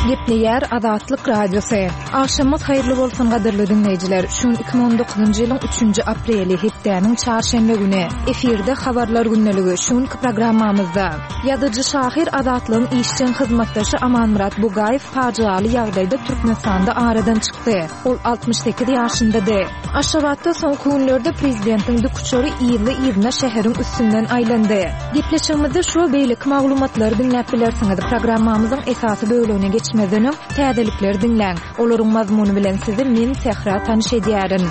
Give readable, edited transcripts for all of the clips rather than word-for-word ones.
Gepleýär Azatlyk Radiosy. Agşamyňyz haýyrly bolsun gadyrly diňleýjiler. Şu gün 2019-njy ýylyň 3-nji apreli, hepdäniň çarşenbe güni. Efirde Habarlar gündeligi. Şu günki programmamyzda Ýazyjy-şahyr Azatlygyň işjeň hyzmatdaşy Amanmyrat Bugaýew pajygaly ýagdaýda Türkmenistanda aradan çykdy. Ol 68 ýaşyndady. Aşgabatda soňky günlerde prezidentiň dikuçary yzly-yzyna şäheriň üstünden aýlandy. Gepleşigimizde şu we beýleki maglumatlary diňläp bilersiňiz. Programmamyzyň esasy bölegine geçmezden öň, täzelikleri diňläň. Olaryň mazmuny bilen sizi men, Sähra, tanyş edýärin.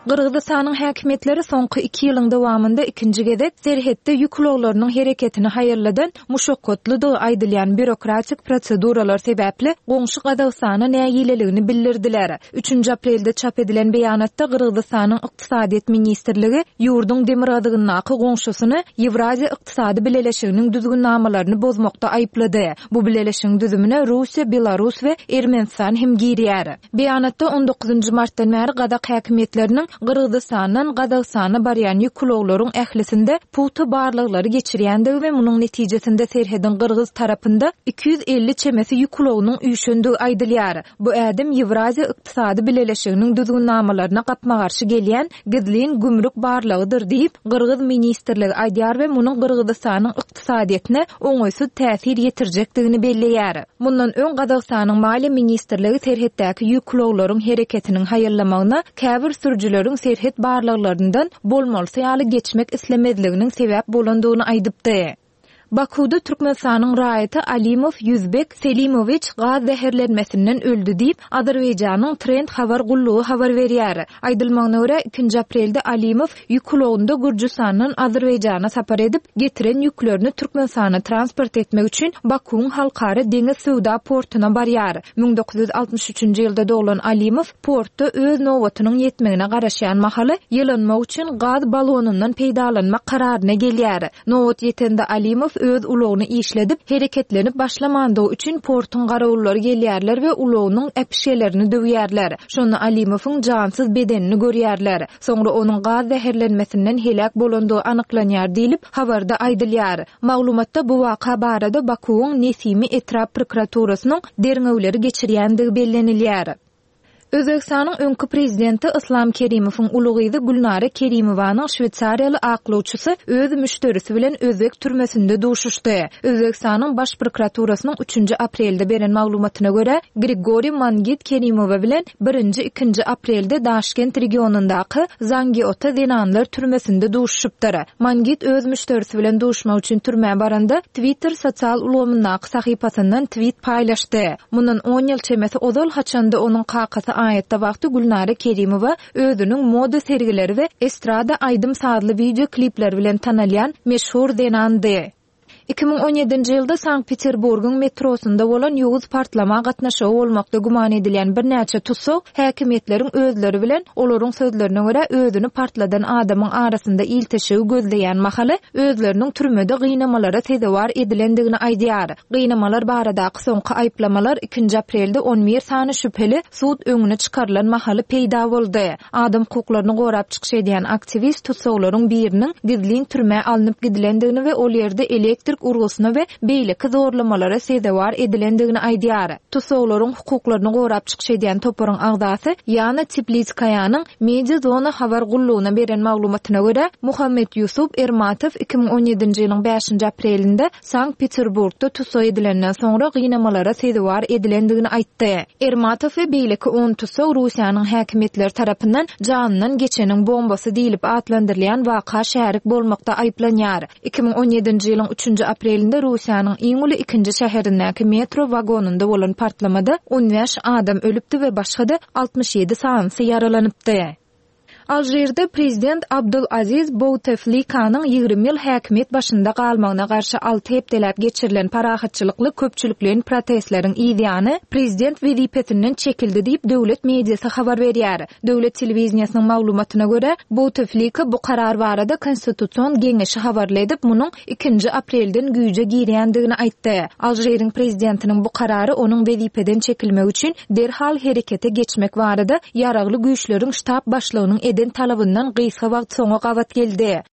Gyrgyzystanyň häkimiýetleri soňky iki ýylyň dowamynda ikinji gezek serhetde ýük ulaglarynyň hereketini haýalladan muşakgatlydygy aýdylýan býurokratik proseduralar sebäpli goňşy Gazagystana nägileligini bildirdiler. Üçünji aprelde çap edilen beýanatda Gyrgyzystanyň Ykdysadyýet ministrligi ýurduň demirgazygyndaky goňşusyny Ýewraziýa Ykdysady Bileleşiginiň düzgünnamalaryny bozmakda aýyplady. Bu bileleşigiň düzümine Russiýa, Belarus we Ermenistan hem girýär. Beýanatda on dokuzynjy martdan bäri gazak häkimiýetleriniň Gyrgyzystandan Gazagystana barýan ýük ulaglaryň ählisinde pugta barlaglary geçirýändigi we munuň netijesinde serhediň gyrgyz tarapynda 250 çemesi ýük ulagynyň üýşendigi aýdylýar. Bu ädim Ýewraziýa Ykdysady Bileleşiginiň düzgünnamalaryna gapma-garşy gelýän gizlin gümrük barlagydyr diýip, gyrgyz ministrligi aýdýar we munuň Gyrgyzystanyň ykdysadyýetine oňaýsyz täsir ýetirjekdigini belleýär. Mundan öň Gazagystanyň Maliýe ministrligi serhetdäki ýük ulaglaryň hereketiniň haýallamagyna käbir sürüjileriň serhet barlaglaryndan bolmalysy ýaly geçmek islemezliginiň sebäp bolandygyny aýdypdy. Bakuwda Türkmenistanyň raýaty Alimow Ýüzbek Selimowiç gaz zäherlenmesinden öldi diýip, Azerbaýjanyň Trend habar gullugy habar berýär. Aýdylmagyna görä, ikinji aprelde Alimow ýük ulagynda Gürjüstandan Azerbaýjana sapar edip, getiren ýüklerini Türkmenistana transport etmek üçin Bakuwyň halkara deňiz söwda portuna barýar. 1963-nji ýylda doglan Alimow portda öz nobatynyň ýetmegine garaşýan mahaly ýylanmak üçin gaz balonyndan peýdalanmak kararyna gelýär. Nobat ýetende Alimow öz ulagyny işledip, hereketlenip başlamandygy üçin portuň garawullary gelýärler we ulagynyň äpişgelerini döwýärler. Şonda Alimowyň jansyz bedenini görýärler. Soňra onuň gaz zäherlenmesinden heläk bolandygy anyklanýar diýlip, habarda aýdylýar. Maglumatda bu waka barada Bakuwyň Nesimi etrap prokuraturasynyň derňewleri geçirýändigi bellenilýär. Özbegistanyň öňki prezidenti Yslam Kerimowyň uly gyzy Gülnara Kerimowanyň şweýsariýaly aklawçysy öz müşderisi bilen özbek türmesinde duşuşdy. Özbegistanyň Baş prokuraturasynyň üçünji aprelde beren maglumatyna görä, Grigoriý Mangit Kerimowa bilen birinji, ikinji aprelde Daşkent regionyndaky Zangiota zenanlar türmesinde duşuşypdyr. Mangit öz müşderisi bilen duşmak üçin türmä baranda, Twitter sosial ulgamyndaky sahypasyndan twit paýlaşdy. Mundan on ýyl çemesi ozal, haçan-da onuň kakasy aýatda wagty Gülnara Kerimowa özüniň moda sergileri we estrada aýdym-sazly wideo klipleri bilen tanalýan meşhur zenandy. 2017-nji ýylda Sankt-Peterburgyň metrosynda bolan ýowuz partlama gatnaşygy bolmakda güman edilýän birnäçe tussag häkimiýetleriň özleri bilen, olaryň sözlerine görä, özüni partladan adamyň arasynda ilteşigi gözleýän mahaly özleriniň türmede gynamalara sezewar edilendigini aýdýar. Gynamalar baradaky soňky aýyplamalar ikinji aprelde on bir sany şübheli sud öňüne çykarylan mahaly peýda boldy. Adam hukuklaryny gorap çykyş edýän aktiwist tussaglaryň biriniň gizlin türmä alnyp gidilendigini we ol ýerde elektrik urgusyna we beýleki zorlamalara sezewar edilendigini aýdýar. Tussaglaryň hukuklaryny gorap çykyş edýän toparyň agzasy Ýana Teplitskaýanyň Mediazona habar gullugyna beren maglumatyna görä, Muhammet Ýusup Ermatow 2017-nji ýylyň bäşinji aprelinde Sankt-Peterburgda tussag edilenden soňra gynamalara sezewar edilendigini aýtdy. Ermatow we beýleki on tussag Russiýanyň häkimiýetleri tarapyndan janyndan geçeniň bombasy diýlip atlandyrylýan waka şärik bolmakda aýyplanýar. 2017-nji ýylyň üçünji aprelinde Russiýanyň iň uly ikinji şäherindäki metro wagonynda bolan partlamada on bäş adam ölüpdi we başga-da 67 sanysy ýaralanypdy. Alžirde prezident Abdul-Aziz Bouteflikanyň 20 ýyl häkimiýet başynda galmagyna garşy alty hepdeläp geçirilen parahatçylykly köpçülikleýin protestleriň yzýany prezident wezipesinden çekildi diýip, döwlet mediasy habar berýär. Döwlet telewideniýesiniň maglumatyna görä, Bouteflika bu karar barada Konstitusion geňeşi habarly edip, munuň ikinji aprelden güýje girýändigini aýtdy. Alžiriň prezidentiniň bu karary onuň wezipeden çekilmegi üçin derhal herekete geçmek barada Ýaragly Güýçleriň ştab başlygynyň eden talabyndan gysga wagt soňa gabat geldi.